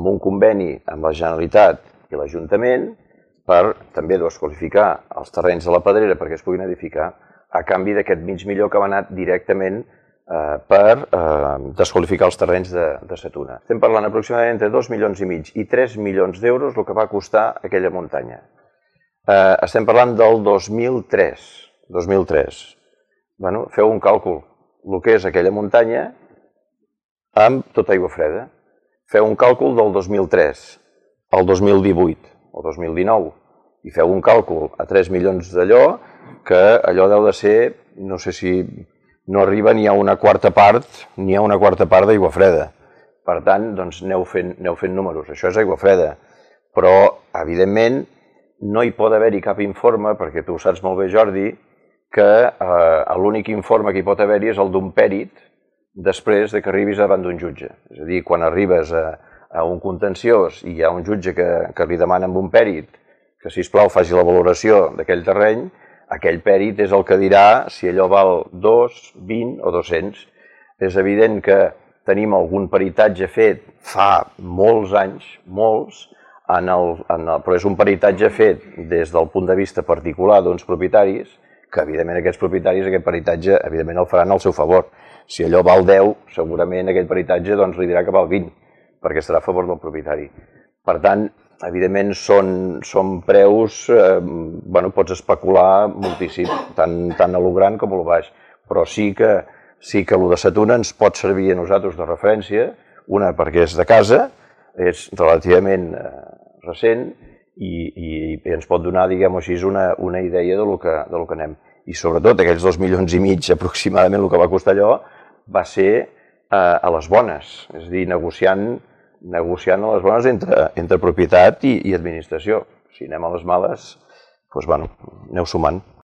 amb un conveni amb la Generalitat i l'Ajuntament per també desqualificar els terrenys de la Pedrera perquè es puguin edificar a canvi d'aquest mig milió que va anar directament per desqualificar els terrenys de Sa Tuna. Estem parlant aproximadament entre 2,5 milions i 3 milions d'euros el que va costar aquella muntanya. Estem parlant del 2003. Feu un càlcul, el que és aquella muntanya amb tota aigua freda. Feu un càlcul del 2003 al 2018 o 2019 i feu un càlcul a 3 milions d'allò, que allò deu de ser, no sé si no arriba ni a una quarta part d'aigua freda. Per tant, doncs aneu fent números. Això és aigua freda. Però, evidentment, no hi pot haver-hi cap informe, perquè tu ho saps molt bé, Jordi, que l'únic informe que hi pot haver-hi és el d'un pèrit després que arribis davant d'un jutge. És a dir, quan arribes a un contenciós i hi ha un jutge que li demana amb un pèrit que, sisplau, faci la valoració d'aquell terreny, aquell pèrit és el que dirà si allò val 2, 20 o 200. És evident que tenim algun peritatge fet fa molts anys, però és un peritatge fet des del punt de vista particular d'uns propietaris, que evidentment aquests propietaris aquest peritatge evidentment el faran al seu favor. Si allò val 10, segurament aquest peritatge li dirà que val 20, perquè estarà a favor del propietari. Per tant, evidentment són preus, pots especular moltíssim, tant a lo gran com a lo baix, però sí que el de Sa Tuna ens pot servir a nosaltres de referència, una perquè és de casa, és relativament recent i ens pot donar, diguem-ho així, una idea del que anem. I sobretot aquells 2,5 milions aproximadament el que va costar allò va ser a les bones, és a dir, negociant a les bones entre propietat i administració. Si anem a les males, doncs aneu sumant.